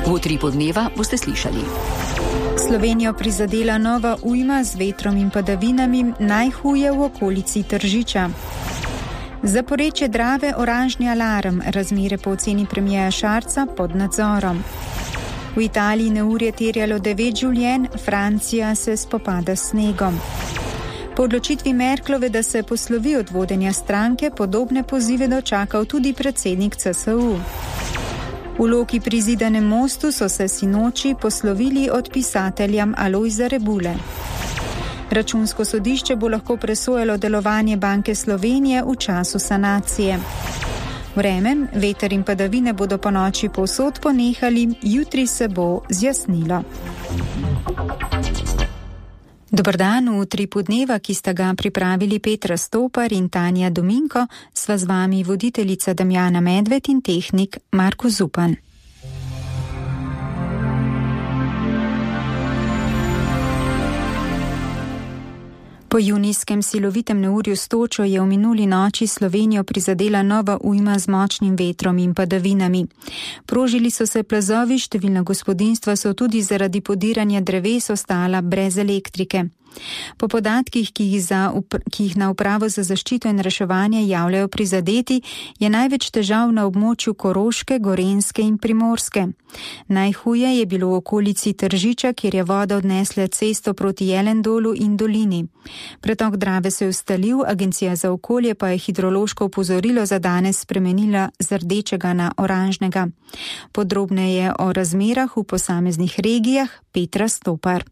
V Utripu dneva boste slišali. Slovenijo prizadela nova ujma z vetrom in padavinami, najhuje v okolici Tržiča. Za porečje Drave oranžni alarm, razmere po oceni premierja Šarca pod nadzorom. V Italiji neurje terjalo 9 življenj, Francija se spopada s snegom. Po odločitvi Merklove, da se poslovi od vodenja stranke, podobne pozive dočakal tudi predsednik CSU. V Loki pri Zidanem mostu so se sinoči poslovili od pisatelja Alojza Rebule. Računsko sodišče bo lahko presojalo delovanje Banke Slovenije v času sanacije. Vreme, veter in padavine bodo po noči povsod ponehali, jutri se bo zjasnilo. Dober dan, v Utripu dneva, ki sta ga pripravili Petra Stopar in Tanja Dominko, sva z vami voditeljica Damjana Medved in tehnik Marko Zupan. Po junijskem silovitem neurju s točo je v minuli noči Slovenijo prizadela nova ujma z močnim vetrom in padavinami. Prožili so se plazovi, številna gospodinjstva so tudi zaradi podiranja dreves ostala brez elektrike. Po podatkih, ki jih na Upravo za zaščito in reševanje javljajo prizadeti, je največ težav na območju Koroške, Gorenjske in Primorske. Najhuje je bilo v okolici Tržiča, kjer je voda odnesla cesto proti Jelendolu in dolini. Pretok Drave se je ustalil, Agencija za okolje pa je hidrološko opozorilo za danes spremenila z rdečega na oranžnega. Podrobneje o razmerah v posameznih regijah Petra Stopar.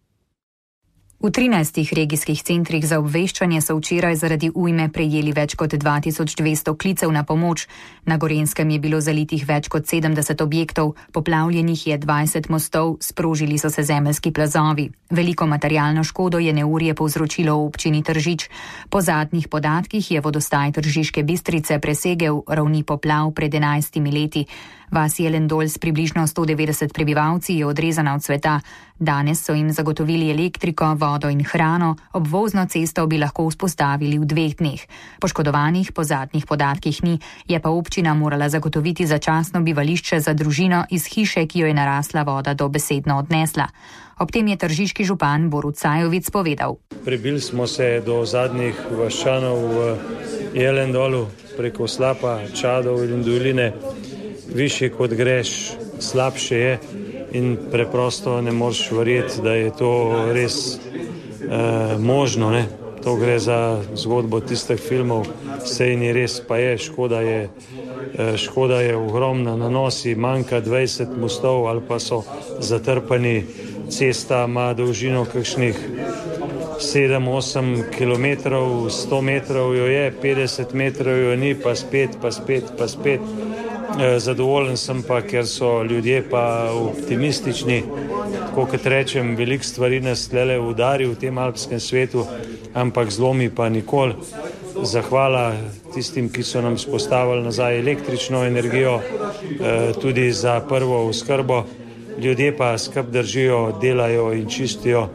V 13 regijskih centrih za obveščanje so včeraj zaradi ujme prejeli več kot 2200 klicev na pomoč. Na Gorenjskem je bilo zalitih več kot 70 objektov, poplavljenih je 20 mostov, sprožili so se zemeljski plazovi. Veliko materialno škodo je neurje povzročilo v občini Tržič. Po zadnjih podatkih je vodostaj Tržiške Bistrice presegel ravni poplav pred 11 leti. Vas Jelendol s približno 190 prebivalci je odrezana od sveta. Danes so jim zagotovili elektriko, vodo in hrano, obvozno cesto bi lahko vzpostavili v 2 dneh. Poškodovanih po zadnjih podatkih ni, je pa občina morala zagotoviti začasno bivališče za družino iz hiše, ki jo je narasla voda dobesedno odnesla. Ob tem je tržiški župan Borut Sajovic povedal. Prebili smo se do zadnjih vaščanov v Jelendolu preko Slapa, Čadov in doline. Višje kot greš, slabše je in preprosto ne moreš verjeti, da je to res možno. Ne? To gre za zgodbo tistih filmov, sej ni res, pa je, škoda je ogromna, na nosi manjka 20 mostov ali pa so zatrpani, cesta ima dolžino kakšnih 7-8 kilometrov, 100 metrov jo je, 50 metrov jo ni, pa spet. Zadovoljen sem pa, ker so ljudje pa optimistični, tako kot rečem, veliko stvari nas tlele udari v tem alpskem svetu, ampak zlomi pa nikoli. Zahvala tistim, ki so nam spostavili nazaj električno energijo, tudi za prvo oskrbo. Ljudje pa skrb držijo, delajo in čistijo.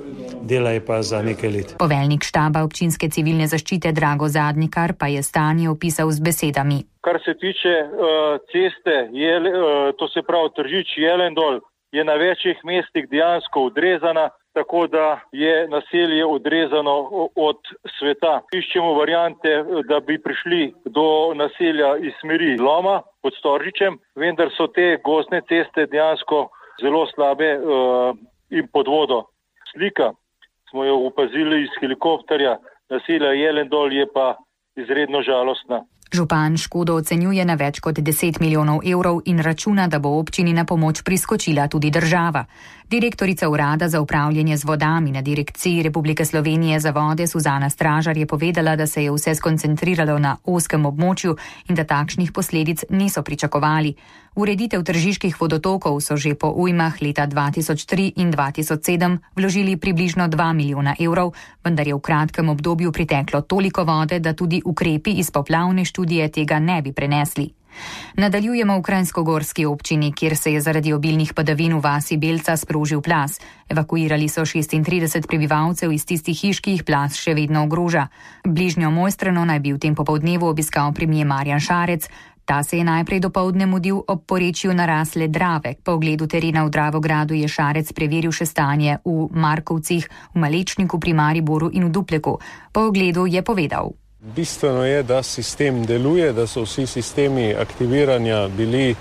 Dela je pa za nekaj let. Poveljnik štaba občinske civilne zaščite Drago Zadnikar pa je stanje opisal z besedami. Kar se tiče ceste, to se pravi Tržič-Jelendol, je na večjih mestih dejansko odrezana, tako da je naselje odrezano od sveta. Iščemo variante, da bi prišli do naselja iz smeri Loma pod Storžičem, vendar so te gozdne ceste dejansko zelo slabe in pod vodo. Slika smo jo opazili iz helikopterja, naselja Jelendol je pa izredno žalostna. Župan škodo ocenjuje na več kot 10 milijonov evrov in računa, da bo občini na pomoč priskočila tudi država. Direktorica Urada za upravljanje z vodami na Direkciji Republike Slovenije za vode Suzana Stražar je povedala, da se je vse skoncentriralo na ozkem območju in da takšnih posledic niso pričakovali. Ureditev tržiških vodotokov so že po ujmah leta 2003 in 2007 vložili približno 2 milijona evrov, vendar je v kratkem obdobju priteklo toliko vode, da tudi ukrepi iz poplavne študije tega ne bi prenesli. Nadaljujemo v Kranjskogorski občini, kjer se je zaradi obilnih padavin v vasi Belca sprožil plaz. Evakuirali so 36 prebivalcev iz tistih hiš, ki jih plaz še vedno ogroža. Bližnjo Mojstrano naj bi v tem popoldnevu obiskal premier Marjan Šarec. Ta se je najprej dopoldne mudil ob porečju narasle Drave. Po ogledu terena v Dravogradu je Šarec preveril še stanje v Markovcih, v Malečniku pri Mariboru in v Dupleku. Po ogledu je povedal: Bistveno je, da sistem deluje, da so vsi sistemi aktiviranja bili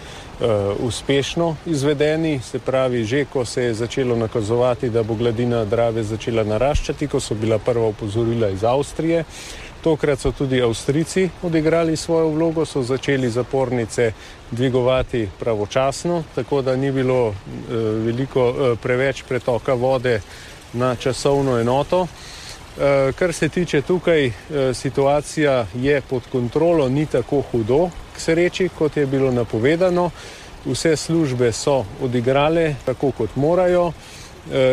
uspešno izvedeni, se pravi, že ko se je začelo nakazovati, da bo gladina Drave začela naraščati, ko so bila prva opozorila iz Avstrije. Tokrat so tudi Avstrijci odigrali svojo vlogo, so začeli zapornice dvigovati pravočasno, tako da ni bilo preveč pretoka vode na časovno enoto. Kar se tiče tukaj, situacija je pod kontrolo, ni tako hudo k sreči, kot je bilo napovedano. Vse službe so odigrale tako, kot morajo.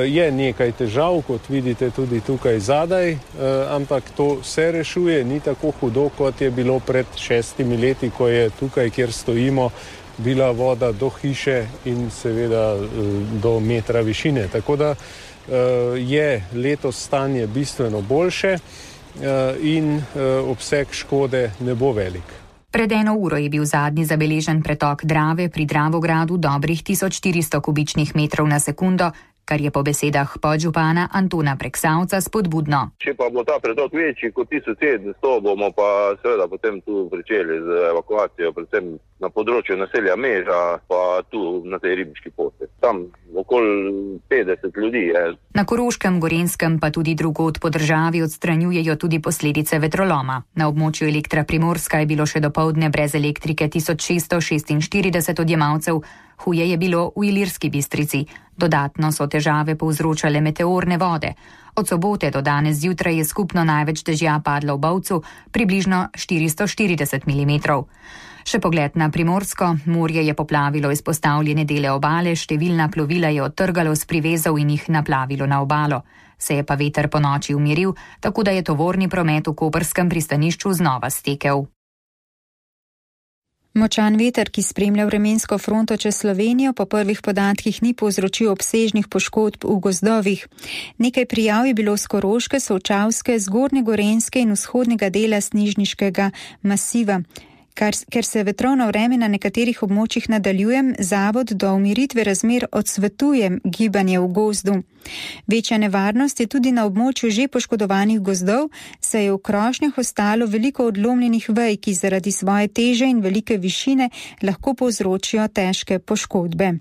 Je nekaj težav, kot vidite tudi tukaj zadaj, ampak to se rešuje, ni tako hudo, kot je bilo pred 6 leti, ko je tukaj, kjer stojimo, bila voda do hiše in seveda do metra višine. Tako da je letos stanje bistveno boljše in obseg škode ne bo velik. Pred 1 uro je bil zadnji zabeležen pretok Drave pri Dravogradu dobrih 1400 kubičnih metrov na sekundo, kar je po besedah podžupana Antona Preksavca spodbudno. Če pa bo ta pretok večji kot 1700, bomo pa seveda potem tu pričeli z evakuacijo, predvsem na področju naselja Meža, pa tu na tej ribiški poti. Tam okoli 50 ljudi je. Na Koroškem, Gorenjskem pa tudi drugod po državi odstranjujejo tudi posledice vetroloma. Na območju Elektra Primorska je bilo še dopoldne brez elektrike 1646 odjemalcev, huje je bilo v Ilirski Bistrici. Dodatno so težave povzročale meteorne vode. Od sobote do danes zjutraj je skupno največ dežja padlo v Bovcu, približno 440 mm. Še pogled na Primorsko. Morje je poplavilo izpostavljene dele obale, številna plovila je odtrgalo s privezov in jih naplavilo na obalo. Se je pa veter po noči umiril, tako da je tovorni promet v koprskem pristanišču znova stekel. Močan veter, ki spremlja vremensko fronto čez Slovenijo, po prvih podatkih ni povzročil obsežnih poškodb v gozdovih. Nekaj prijav je bilo z Koroške, Solčavske, Zgornje Gorenjske in vzhodnega dela Snižniškega masiva. Ker se vetrovno vreme na nekaterih območjih nadaljuje, zavod do umiritve razmer odsvetuje gibanje v gozdu. Večja nevarnost je tudi na območju že poškodovanih gozdov, saj je v krošnjah ostalo veliko odlomljenih vej, ki zaradi svoje teže in velike višine lahko povzročijo težke poškodbe.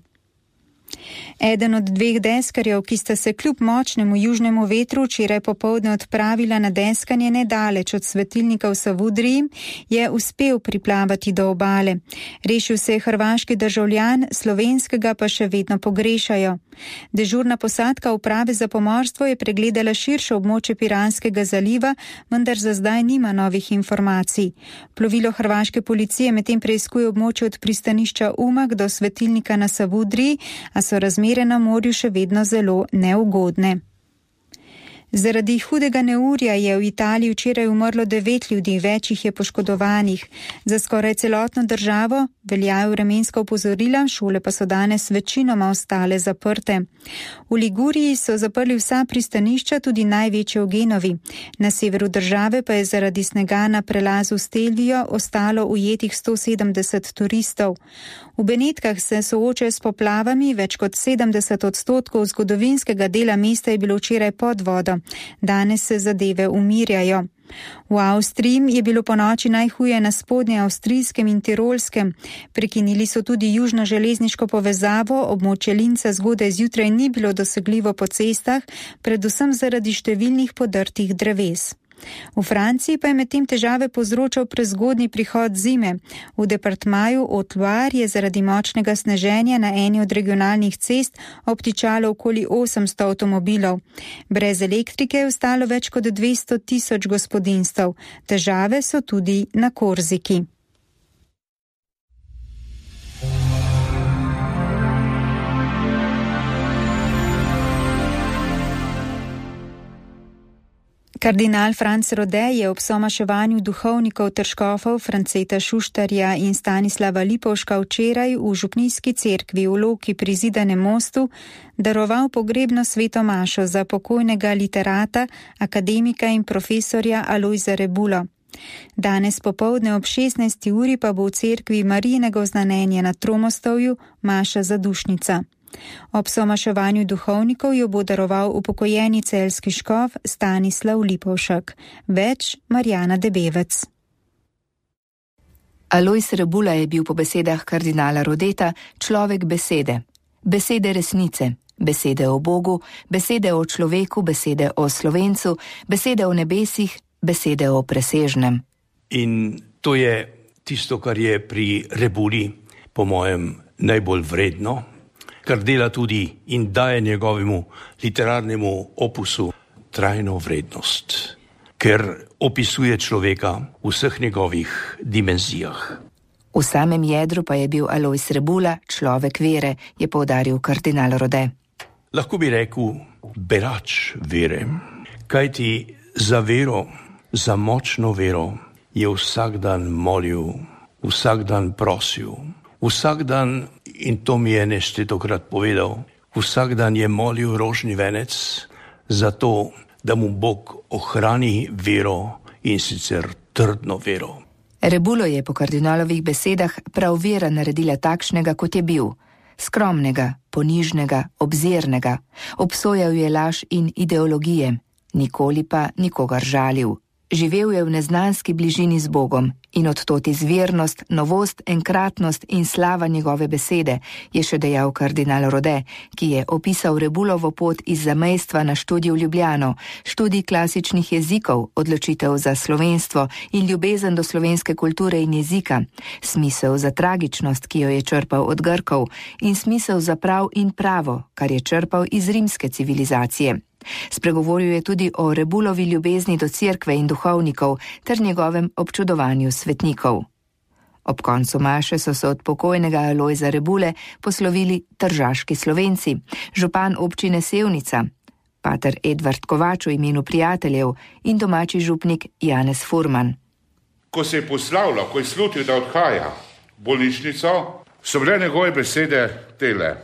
Eden od 2 deskarjev, ki sta se kljub močnemu južnemu vetru včeraj popoldne odpravila na deskanje nedaleč od svetilnika v Savudriji, je uspel priplavati do obale. Rešil se je hrvaški državljan, slovenskega pa še vedno pogrešajo. Dežurna posadka uprave za pomorstvo je pregledala širše območje Piranskega zaliva, vendar za zdaj nima novih informacij. Plovilo hrvaške policije medtem preiskuje območje od pristanišča Umag do svetilnika na Savudriji, a so razmere na morju še vedno zelo neugodne. Zaradi hudega neurja je v Italiji včeraj umrlo 9 ljudi, več jih je poškodovanih. Za skoraj celotno državo veljajo vremenska opozorila, šole pa so danes večinoma ostale zaprte. V Liguriji so zaprli vsa pristanišča, tudi največje v Genovi. Na severu države pa je zaradi snega na prelazu Stelvijo ostalo ujetih 170 turistov. V Benetkah se soočajo s poplavami, več kot 70% zgodovinskega dela mesta je bilo včeraj pod vodo. Danes se zadeve umirjajo. V Avstriji je bilo ponoči najhuje na spodnje avstrijskem in tirolskem. Prekinili so tudi južno železniško povezavo, območje Linca zgodaj zjutraj ni bilo dosegljivo po cestah, predvsem zaradi številnih podrtih dreves. V Franciji pa je medtem težave povzročal prezgodnji prihod zime. V departmaju Haute-Loire je zaradi močnega sneženja na eni od regionalnih cest obtičalo okoli 800 avtomobilov. Brez elektrike je ostalo več kot 200 000 gospodinjstev. Težave so tudi na Korziki. Kardinal Franc Rode je ob somaševanju duhovnikov ter škofov Franceta Šuštarja in Stanislava Lipovška včeraj v župnijski cerkvi v Loki pri Zidanem mostu daroval pogrebno sveto mašo za pokojnega literata, akademika in profesorja Alojza Rebulo. Danes popoldne ob 16. uri pa bo v cerkvi Marijinega oznanjenja na Tromostovju maša zadušnica. Ob somaševanju duhovnikov jo bo daroval upokojeni celjski škof Stanislav Lipovšek. Več Marjana Debevec. Alojz Rebula je bil po besedah kardinala Rodeta človek besede. Besede resnice, besede o Bogu, besede o človeku, besede o Slovencu, besede o nebesih, besede o presežnem. In to je tisto, kar je pri Rebuli, po mojem, najbolj vredno, kar dela tudi in daje njegovemu literarnemu opusu trajno vrednost, ker opisuje človeka v vseh njegovih dimenzijah. V samem jedru pa je bil Alojz Rebula človek vere, je poudaril kardinal Rode. Lahko bi rekel berač vere, kajti za vero, za močno vero je vsak dan molil, vsak dan prosil, vsak dan, in to mi je neštetokrat povedal, vsak dan je molil rožni venec za to, da mu Bog ohrani vero in sicer trdno vero. Rebulo je po kardinalovih besedah prav vera naredila takšnega, kot je bil. Skromnega, ponižnega, obzirnega. Obsojal je laž in ideologije, nikoli pa nikogar žalil. Živel je v neznanski bližini z Bogom in odtod izvirnost, novost, enkratnost in slava njegove besede, je še dejal kardinal Rode, ki je opisal Rebulovo pot iz zamejstva na študij v Ljubljano, študij klasičnih jezikov, odločitev za slovenstvo in ljubezen do slovenske kulture in jezika, smisel za tragičnost, ki jo je črpal od Grkov, in smisel za prav in pravo, kar je črpal iz rimske civilizacije. Spregovoril je tudi o Rebulovi ljubezni do cerkve in duhovnikov ter njegovem občudovanju svetnikov. Ob koncu maše so se od pokojnega Alojza Rebule poslovili tržaški Slovenci, župan občine Sevnica, pater Edvard Kovač v imenu prijateljev in domači župnik Janez Furman. Ko se je poslavljal, ko je slutil, da odhaja v bolnišnico, so bile njegove besede tele.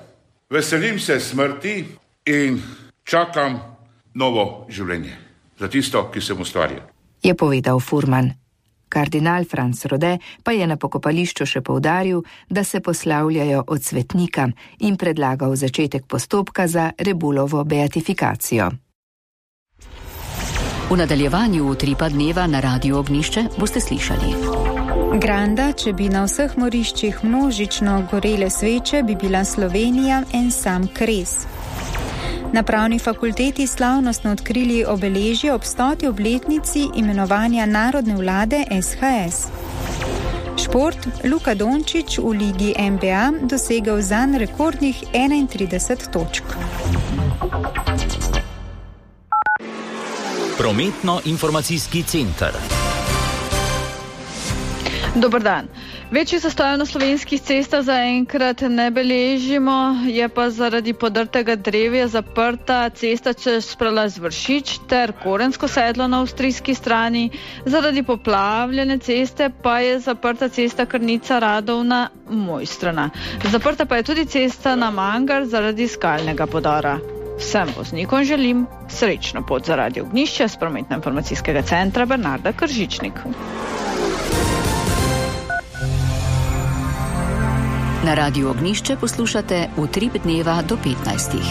Veselim se smrti in čakam novo življenje za tisto, ki sem ustvaril, je povedal Furman. Kardinal Franc Rode pa je na pokopališču še poudaril, da se poslavljajo od svetnika in predlagal začetek postopka za Rebulovo beatifikacijo. V nadaljevanju Utripa dneva na Radiu Ognjišče boste slišali. Granda, če bi na vseh moriščih množično gorele sveče, bi bila Slovenija en sam kres. Na pravni fakulteti slavnostno odkrili obeležje ob 100. obletnici imenovanja narodne vlade SHS. Šport, Luka Dončić v ligi NBA dosegel zanj rekordnih 31 točk. Prometno-informacijski center. Dober dan. Večji zastojev na slovenskih cestah zaenkrat ne beležimo, je pa zaradi podrtega drevja zaprta cesta čez prelaz Vršič ter Korensko sedlo na avstrijski strani. Zaradi poplavljene ceste pa je zaprta cesta Krnica Radovna Mojstrana. Zaprta pa je tudi cesta na Mangar zaradi skalnega podora. Vsem voznikom želim srečno pot za Radio Ognjišče s prometno-informacijskega centra Bernarda Kržičnik. Na Radiu Ognjišče poslušate Utrip dneva do 15.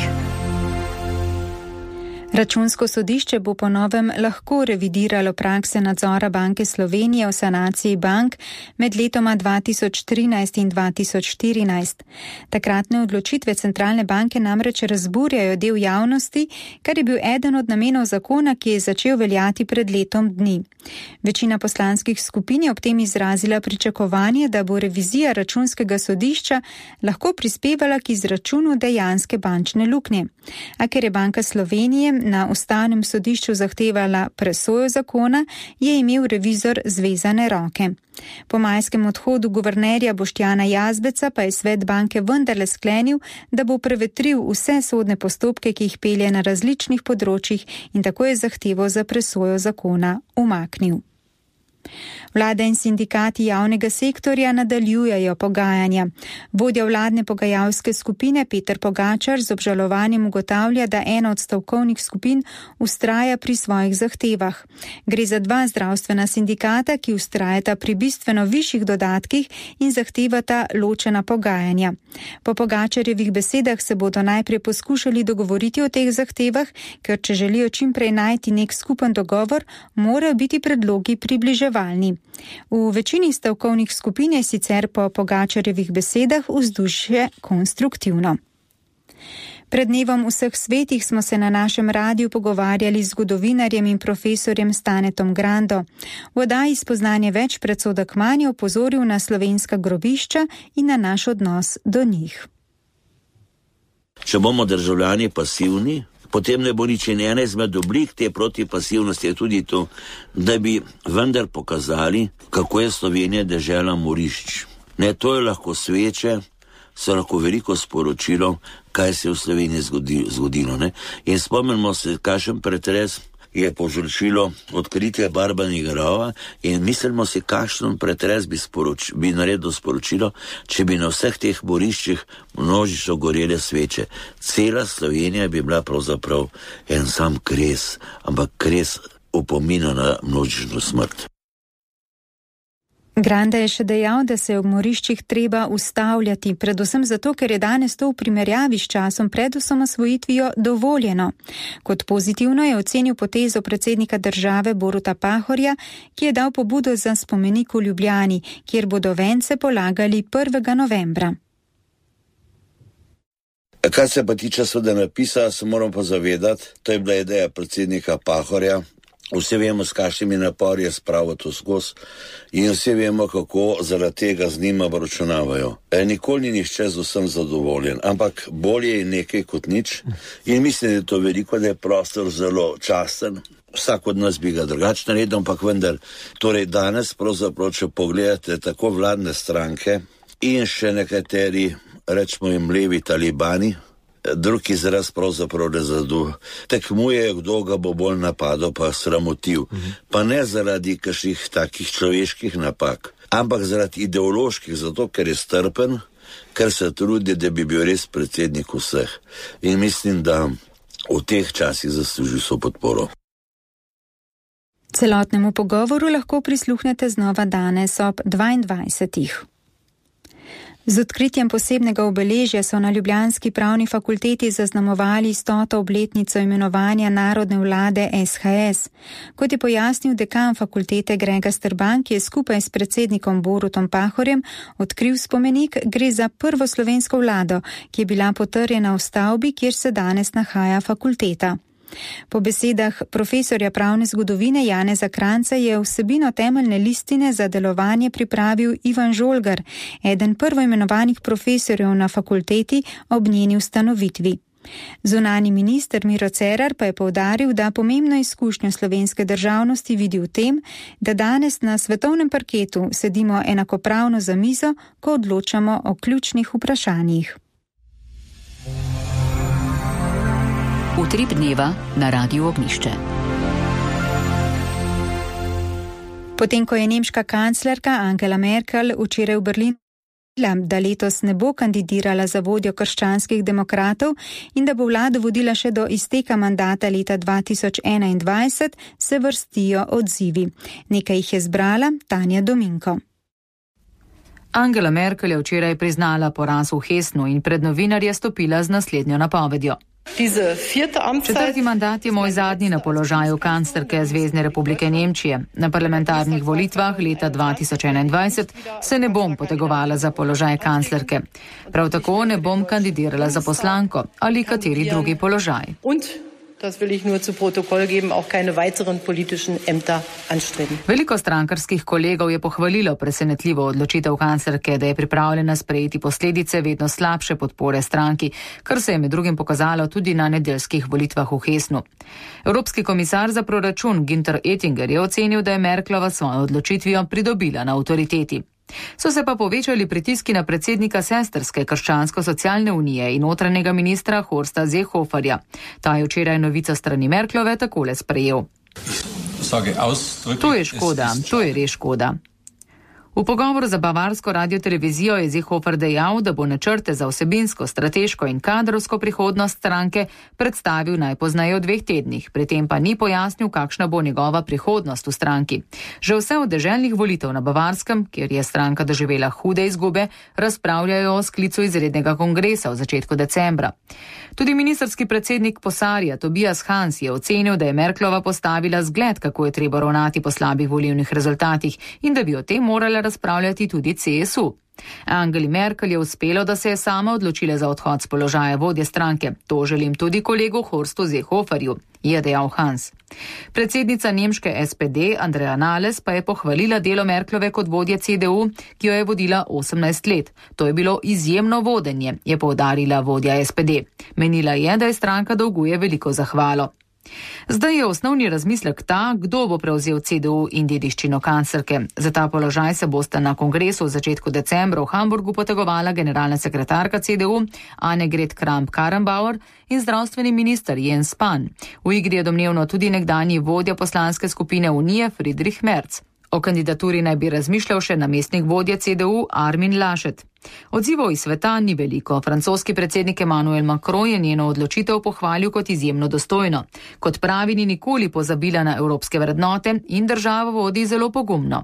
Računsko sodišče bo po novem lahko revidiralo prakse nadzora Banke Slovenije o sanaciji bank med letoma 2013 in 2014. Takratne odločitve centralne banke namreč razburjajo del javnosti, kar je bil eden od namenov zakona, ki je začel veljati pred letom dni. Večina poslanskih skupin je ob tem izrazila pričakovanje, da bo revizija računskega sodišča lahko prispevala k izračunu dejanske bančne luknje. A ker je Banka Slovenije na ustavnem sodišču zahtevala presojo zakona, je imel revizor zvezane roke. Po majskem odhodu guvernerja Boštjana Jazbeca pa je svet banke vendarle sklenil, da bo prevetril vse sodne postopke, ki jih pelje na različnih področjih, in tako je zahtevo za presojo zakona umaknil. Vlada in sindikati javnega sektorja nadaljujejo pogajanja. Vodja vladne pogajalske skupine Peter Pogačar z obžalovanjem ugotavlja, da ena od stavkovnih skupin vztraja pri svojih zahtevah. Gre za dva zdravstvena sindikata, ki vztrajata pri bistveno višjih dodatkih in zahtevata ločena pogajanja. Po Pogačarjevih besedah se bodo najprej poskušali dogovoriti o teh zahtevah, ker če želijo čimprej najti nek skupen dogovor, morajo biti predlogi približevalni. V večini stavkovnih skupin je sicer po Pogačarjevih besedah vzdušje konstruktivno. Pred dnevom vseh svetih smo se na našem radiju pogovarjali z zgodovinarjem in profesorjem Stanetom Grando. V oddaji Spoznanje več predsodek manj je opozoril na slovenska grobišča in na naš odnos do njih. Če bomo državljani pasivni, potem ne bo nič. In ena izmed oblik te protipasivnosti je tudi to, da bi vendar pokazali, kako je Slovenija dežela morišč. Ne, to je lahko sveče, so lahko veliko sporočilo, kaj se je v Sloveniji zgodilo. Ne? In spomnimo se, kakšen pretres je povzročilo odkritje Barbanega rova in mislimo si, kakšen pretres bi naredil sporočilo, če bi na vseh teh moriščih množično gorele sveče. Cela Slovenija bi bila pravzaprav en sam kres, ampak kres opomina na množično smrt. Granda je še dejal, da se je ob moriščih treba ustavljati, predvsem zato, ker je danes to v primerjavi s časom pred osamosvojitvijo dovoljeno. Kot pozitivno je ocenil potezo predsednika države Boruta Pahorja, ki je dal pobudo za spomenik v Ljubljani, kjer bodo vence polagali 1. novembra. Kar se pa tiče seveda napisa, se moram pa zavedati, to je bila ideja predsednika Pahorja. Vsi vemo, s kakšnimi napori je spravil to skozi in vsi vemo, kako zaradi tega z njima obračunavajo. Nikoli ni nihče z vsem zadovoljen, ampak bolje je nekaj kot nič in mislim, da je to veliko, da je prostor zelo časten. Vsak od nas bi ga drugače naredil, ampak vendar, torej danes pravzaprav, če pogledate tako vladne stranke in še nekateri, rečemo jim levi talibani, drugi izraz pravzaprav rezadu. Tekmujejo, kdo ga bo bolj napadal pa sramotil. Pa ne zaradi kakšnih takih človeških napak, ampak zaradi ideoloških, zato ker je strpen, ker se trudi, da bi bil res predsednik vseh. In mislim, da v teh časih zasluži so podporo. Celotnemu pogovoru lahko prisluhnete znova danes ob 22. Z odkritjem posebnega obeležja so na ljubljanski pravni fakulteti zaznamovali 100. obletnico imenovanja narodne vlade SHS. Kot je pojasnil dekan fakultete Grega Strban, ki je skupaj s predsednikom Borutom Pahorjem odkril spomenik, gre za prvo slovensko vlado, ki je bila potrjena v stavbi, kjer se danes nahaja fakulteta. Po besedah profesorja pravne zgodovine Janeza Kranjca je vsebino temeljne listine za delovanje pripravil Ivan Žolgar, eden prvoimenovanih profesorjev na fakulteti ob njeni ustanovitvi. Zunanji minister Miro Cerar pa je poudaril, da pomembno izkušnjo slovenske državnosti vidi v tem, da danes na svetovnem parketu sedimo enakopravno za mizo, ko odločamo o ključnih vprašanjih. Utrip dneva na Radiu Ognišče. Potem, ko je nemška kanclerka Angela Merkel včeraj v Berlinu da letos ne bo kandidirala za vodjo krščanskih demokratov in da bo vlado vodila še do izteka mandata leta 2021, se vrstijo odzivi. Nekaj jih je zbrala Tanja Dominko. Angela Merkel je včeraj priznala poraz v Hessnu in pred novinarje stopila z naslednjo napovedjo. Četrti mandat je moj zadnji na položaju kanclerke Zvezne republike Nemčije. Na parlamentarnih volitvah leta 2021 se ne bom potegovala za položaj kanclerke. Prav tako ne bom kandidirala za poslanko ali kateri drugi položaj. Das will ich nur zu Protokoll geben, auch keine weiteren politischen Ämter anstreben. Veliko strankarskih kolegov je pohvalilo presenetljivo odločitev kanclerke, da je pripravljena sprejeti posledice vedno slabše podpore stranki, kar se je med drugim pokazalo tudi na nedeljskih volitvah v Hessnu. Evropski komisar za proračun Günther Oettinger je ocenil, da je Merklova svojo odločitvijo pridobila na avtoriteti. So se pa povečali pritiski na predsednika sestrske krščansko-socialne unije in notranjega ministra Horsta Seehoferja. Ta je včeraj novico strani Merklove takole sprejel. To je škoda, to je res škoda. V pogovoru za bavarsko radiotelevizijo je Seehofer dejal, da bo načrte za vsebinsko, strateško in kadrovsko prihodnost stranke predstavil najpozneje v 2 tednih, pri tem pa ni pojasnil, kakšna bo njegova prihodnost v stranki. Že vse od deželnih volitev na Bavarskem, kjer je stranka doživela hude izgube, razpravljajo o sklicu izrednega kongresa v začetku decembra. Tudi ministerski predsednik Posarja Tobias Hans je ocenil, da je Merklova postavila zgled, kako je treba ravnati po slabih volilnih rezultatih in da bi o tem morala razpravljati tudi CSU. Angeli Merkel je uspelo, da se je sama odločila za odhod z položaja vodje stranke. To želim tudi kolegu Horstu Seehoferju, je dejal Hans. Predsednica nemške SPD Andrea Nahles pa je pohvalila delo Merklove kot vodje CDU, ki jo je vodila 18 let. To je bilo izjemno vodenje, je poudarila vodja SPD. Menila je, da je stranka dolguje veliko zahvalo. Zdaj je osnovni razmislek ta, kdo bo prevzel CDU in dediščino kanclerke. Za ta položaj se bosta na kongresu v začetku decembra v Hamburgu potegovala generalna sekretarka CDU Annegret Kramp-Karrenbauer in zdravstveni minister Jens Spahn. V igri je domnevno tudi nekdanji vodja poslanske skupine Unije Friedrich Merz. O kandidaturi naj bi razmišljal še namestnik vodje CDU Armin Laschet. Odzivov iz sveta ni veliko. Francoski predsednik Emmanuel Macron je njeno odločitev pohvalil kot izjemno dostojno. Kot pravi, ni nikoli pozabila na evropske vrednote in državo vodi zelo pogumno.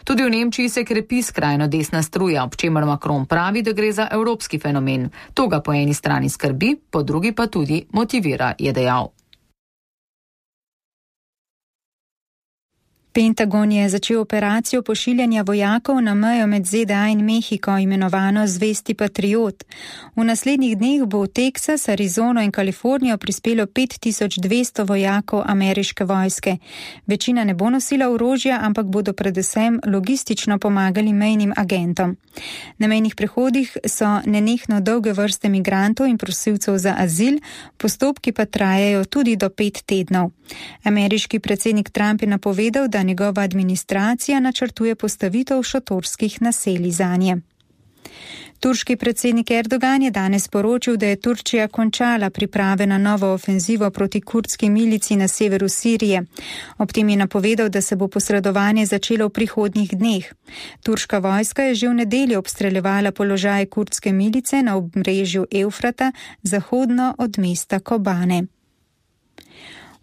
Tudi v Nemčiji se krepi skrajno desna struja, ob čemer Macron pravi, da gre za evropski fenomen. To ga po eni strani skrbi, po drugi pa tudi motivira, je dejal. Pentagon je začel operacijo pošiljanja vojakov na mejo med ZDA in Mehiko, imenovano Zvesti patriot. V naslednjih dneh bo v Teksas, Arizono in Kalifornijo prispelo 5200 vojakov ameriške vojske. Večina ne bo nosila orožja, ampak bodo predvsem logistično pomagali mejnim agentom. Na mejnih prehodih so nenehno dolge vrste migrantov in prosilcev za azil, postopki pa trajajo tudi do 5 tednov. Ameriški predsednik Trump je napovedal, da njegova administracija načrtuje postavitev šotorskih naselij zanje. Turški predsednik Erdogan je danes poročil, da je Turčija končala priprave na novo ofenzivo proti kurdski milici na severu Sirije. Ob tem je napovedal, da se bo posredovanje začelo v prihodnjih dneh. Turška vojska je že v nedeljo obstreljevala položaje kurdske milice na obrežju Evfrata, zahodno od mesta Kobane.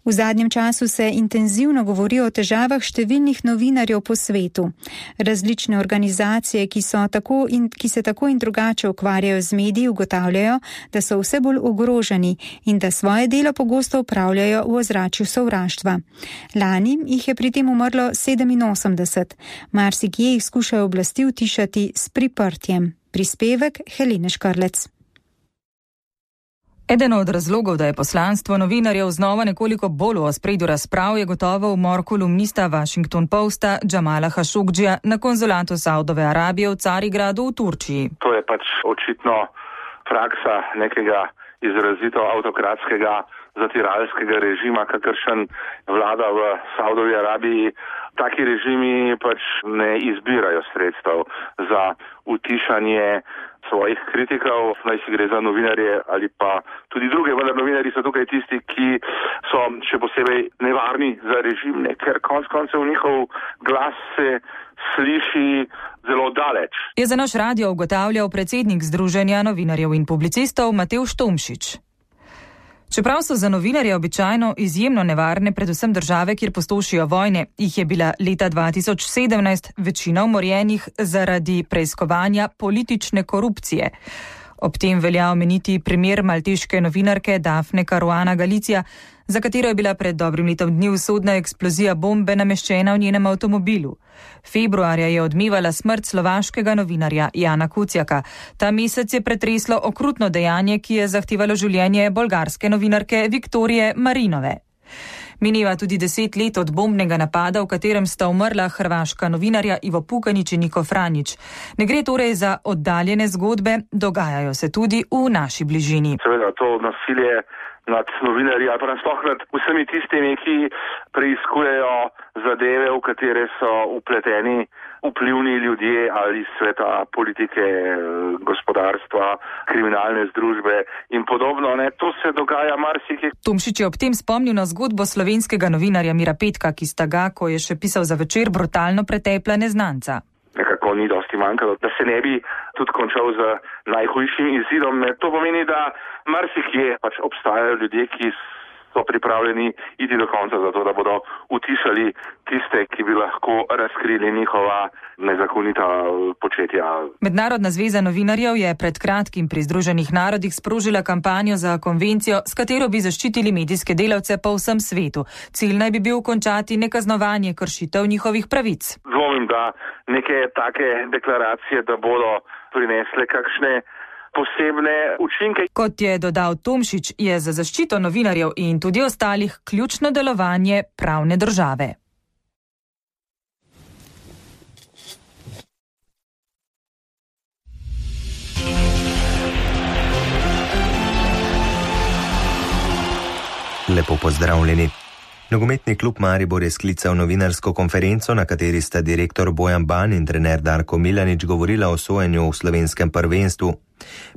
V zadnjem času se intenzivno govori o težavah številnih novinarjev po svetu. Različne organizacije, ki se tako in drugače ukvarjajo z mediji, ugotavljajo, da so vse bolj ogroženi in da svoje delo pogosto opravljajo v ozračju sovraštva. Lani jih je pri tem umrlo 87. Marsikje jih skušajo oblasti utišati s priprtjem. Prispevek Helene Škrlec. Eden od razlogov, da je poslanstvo novinarjev znova nekoliko bolj v ospredju razprav, je gotovo umor kolumnista Washington Posta Jamala Khashoggjija na konzulatu Saudove Arabije v Carigradu v Turčiji. To je pač očitno praksa nekega izrazito avtokratskega zatiralskega režima, kakršen vlada v Saudovi Arabiji. Taki režimi pač ne izbirajo sredstev za utišanje svojih kritikov, naj si gre za novinarje ali pa tudi druge, vendar novinarji so tukaj tisti, ki so še posebej nevarni za režim, ker konec koncev njihov glas se sliši zelo daleč. Je za naš radio ugotavljal predsednik Združenja novinarjev in publicistov Matevž Tomšič. Čeprav so za novinarje običajno izjemno nevarne predvsem države, kjer pustošijo vojne, jih je bila leta 2017 večina umorjenih zaradi preiskovanja politične korupcije. Ob tem velja omeniti primer malteške novinarke Dafne Caruana Galizia, za katero je bila pred dobrim letom dni usodna eksplozija bombe nameščena v njenem avtomobilu. Februarja je odmevala smrt slovaškega novinarja Jana Kuciaka. Ta mesec je pretreslo okrutno dejanje, ki je zahtevalo življenje bolgarske novinarke Viktorije Marinove. Mineva tudi 10 let od bombnega napada, v katerem sta umrla hrvaška novinarja Ivo Pukanić in Niko Franjić. Ne gre torej za oddaljene zgodbe, dogajajo se tudi v naši bližini. Seveda to nasilje nad novinarji ali pa nasploh nad vsemi tistimi, ki preiskujejo zadeve, v katere so vpleteni vplivni ljudje ali sveta politike, gospodarstva, kriminalne združbe in podobno. To se dogaja marsikje. Tomšič je ob tem spomnil na zgodbo slovenskega novinarja Mira Petka, ki sta ga, ko je še pisal za Večer, brutalno pretepla neznanca. Nekako ni dosti manjkalo, da se ne bi tudi končal z najhujšim izidom. To pomeni, da marsikje obstajajo ljudje, ki so pripravljeni iti do konca za to, da bodo utišali tiste, ki bi lahko razkrili njihova nezakonita početja. Mednarodna zveza novinarjev je pred kratkim pri Združenih narodih sprožila kampanjo za konvencijo, s katero bi zaščitili medijske delavce po vsem svetu. Cilj naj bi bil končati nekaznovanje kršitev njihovih pravic. Dvomim, da neke take deklaracije, da bodo prinesle kakšne posebne učinke. Kot je dodal Tomšič, je za zaščito novinarjev in tudi ostalih ključno delovanje pravne države. Lepo pozdravljeni. Nogometni klub Maribor je sklical novinarsko konferenco, na kateri sta direktor Bojan Ban in trener Darko Milanič govorila o sojenju v slovenskem prvenstvu.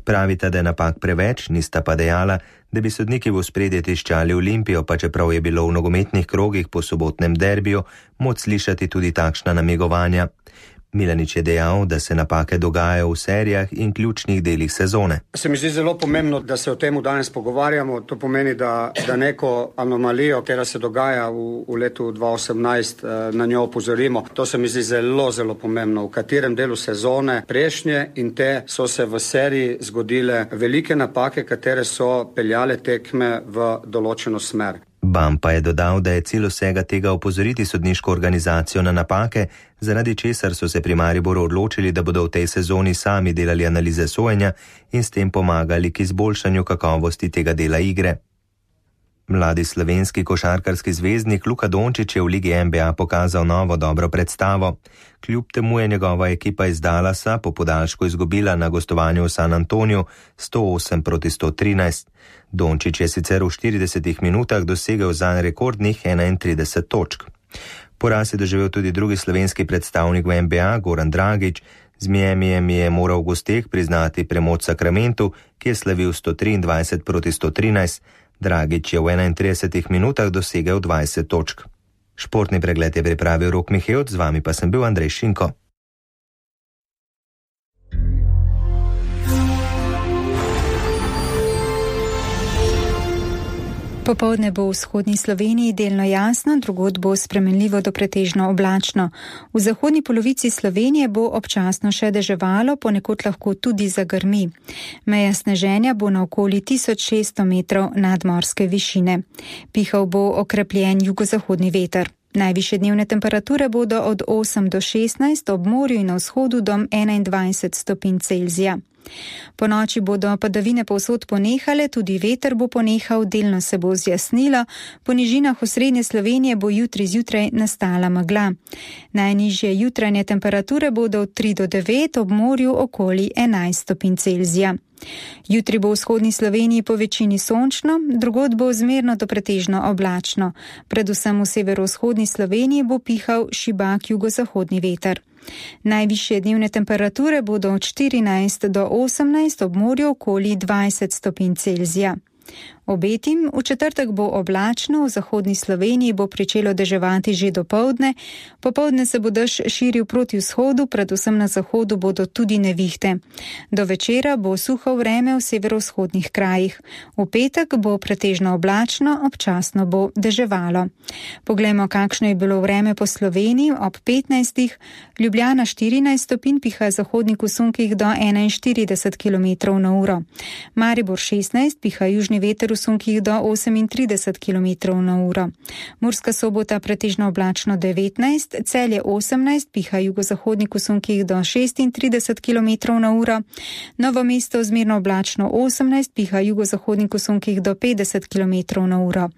Pravita, da je napak preveč, nista pa dejala, da bi sodniki v ospredje tiščali Olimpijo, pa čeprav je bilo v nogometnih krogih po sobotnem derbiju moč slišati tudi takšna namigovanja. Milanič je dejal, da se napake dogajajo v serijah in ključnih delih sezone. Se mi zdi zelo pomembno, da se o tem danes pogovarjamo. To pomeni, da neko anomalijo, ki se dogaja v letu 2018, na njo opozorimo. To se mi zdi zelo, zelo pomembno. V katerem delu sezone prejšnje in te so se v seriji zgodile velike napake, katere so peljale tekme v določeno smer. Ban pa je dodal, da je cilj vsega tega opozoriti sodniško organizacijo na napake, zaradi česar so se pri Mariboru odločili, da bodo v tej sezoni sami delali analize sojenja in s tem pomagali k izboljšanju kakovosti tega dela igre. Mladi slovenski košarkarski zvezdnik Luka Dončić je v Ligi NBA pokazal novo dobro predstavo. Kljub temu je njegova ekipa iz Dallasa po podaljšku izgubila na gostovanju v San Antoniju 108-113. Dončić je sicer v 40 minutah dosegel zanj rekordnih 31 točk. Poraz je doživel tudi drugi slovenski predstavnik v NBA, Goran Dragić. Z Miamijem je moral v gosteh priznati premoč Sacramentu, ki je slavil 123-113. Dragić je v 31 minutah dosegel 20 točk. Športni pregled je pripravil Rok Mihevc, z vami pa sem bil Andrej Šinko. Popoldne bo v vzhodni Sloveniji delno jasno, drugod bo spremenljivo do pretežno oblačno. V zahodni polovici Slovenije bo občasno še deževalo, ponekod lahko tudi zagrmi. Meja sneženja bo na okoli 1600 metrov nadmorske višine. Pihal bo okrepljen jugozahodni veter. Najvišje dnevne temperature bodo od 8 do 16, ob morju in na vzhodu do 21 stopinj Celzija. Po noči bodo padavine povsod ponehale, tudi veter bo ponehal, delno se bo zjasnilo, po nižinah osrednje Slovenije bo jutri zjutraj nastala megla. Najnižje jutranje temperature bodo od 3 do 9, ob morju okoli 11 stopinj Celzija. Jutri bo v vzhodni Sloveniji po večini sončno, drugod bo zmerno do pretežno oblačno. Predvsem v severovzhodni Sloveniji bo pihal šibak jugozahodni veter. Najvišje dnevne temperature bodo od 14 do 18, ob morju okoli 20 stopinj Celzija. Obetim, v četrtek bo oblačno, v zahodni Sloveniji bo pričelo deževati že dopoldne, popoldne se bo dež širil proti vzhodu, predvsem na zahodu bodo tudi nevihte. Do večera bo suho vreme v severovzhodnih krajih. V petek bo pretežno oblačno, občasno bo deževalo. Poglejmo, kakšno je bilo vreme po Sloveniji ob 15. Ljubljana 14 stopinj, piha zahodnik v sunkih do 41 km/h. Maribor 16, piha južni veter v sunkih do 38 km/h. Murska Sobota pretežno oblačno 19, Celje 18, piha jugozahodnik v sunkih do 36 km/h. Novo mesto zmerno oblačno 18, piha jugozahodnik v sunkih do 50 km/h.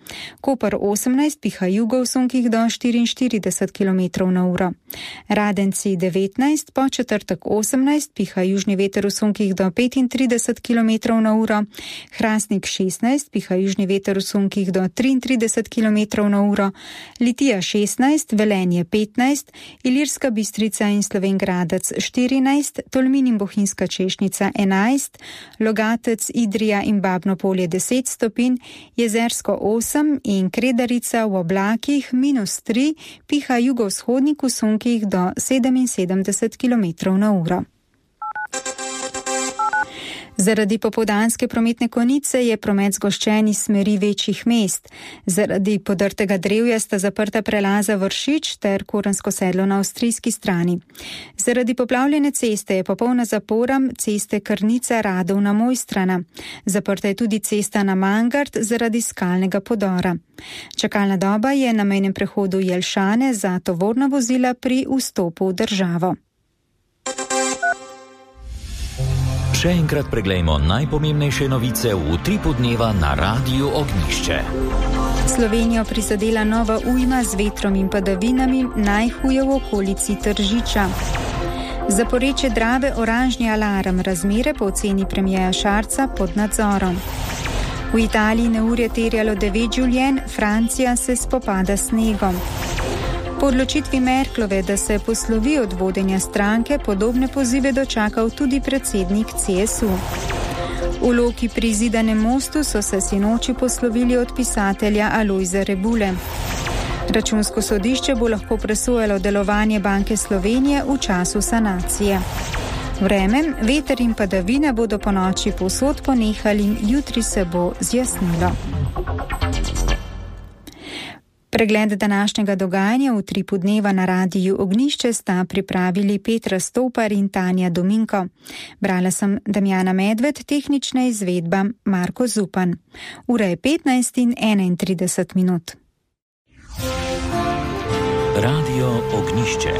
Koper 18, piha jugo v sunkih do 44 km/h. Radenci 19, po četrtek 18, piha južni veter v sunkih do 35 km/h. Hrastnik 16, 14, piha južni veter v sunkih do 33 km/h, Litija 16, Velenje 15, Ilirska Bistrica in Slovenj Gradec 14, Tolmin in Bohinjska Češnica 11, Logatec, Idrija in Babno Polje 10 stopinj, Jezersko 8 in Kredarica v oblakih -3, piha jugovzhodnik v sunkih do 77 km/h. Zaradi popoldanske prometne konice je promet zgoščen iz smeri večjih mest. Zaradi podrtega drevja sta zaprta prelaza Vršič ter Korensko sedlo na avstrijski strani. Zaradi poplavljene ceste je popolna zapora ceste Krnica-Radovna Mojstrana. Zaprta je tudi cesta na Mangart zaradi skalnega podora. Čakalna doba je na mejnem prehodu Jelšane za tovorna vozila pri vstopu v državo. Še enkrat preglejmo najpomembnejše novice v utripu dneva na Radiu Ognjišče. Slovenijo prizadela nova ujma z vetrom in padavinami, najhuje v okolici Tržiča. Za porečje Drave oranžni alarm, razmere po oceni premierja Šarca pod nadzorom. V Italiji neurje terjalo 9 življenj, Francija se spopada s snegom. Po odločitvi Merklove, da se poslovi od vodenja stranke, podobne pozive dočakal tudi predsednik CSU. V Loki pri Zidanem mostu so se sinoči poslovili od pisatelja Alojza Rebule. Računsko sodišče bo lahko presojalo delovanje Banke Slovenije v času sanacije. Vreme, veter in padavine bodo po noči povsod ponehali in jutri se bo zjasnilo. Pregled današnjega dogajanja v utripu dneva na Radiju Ognjišče sta pripravili Petra Stopar in Tanja Dominko. Brala sem Damjana Medved, tehnična izvedba Marko Zupan. Ura je 15:31. Radio Ognjišče.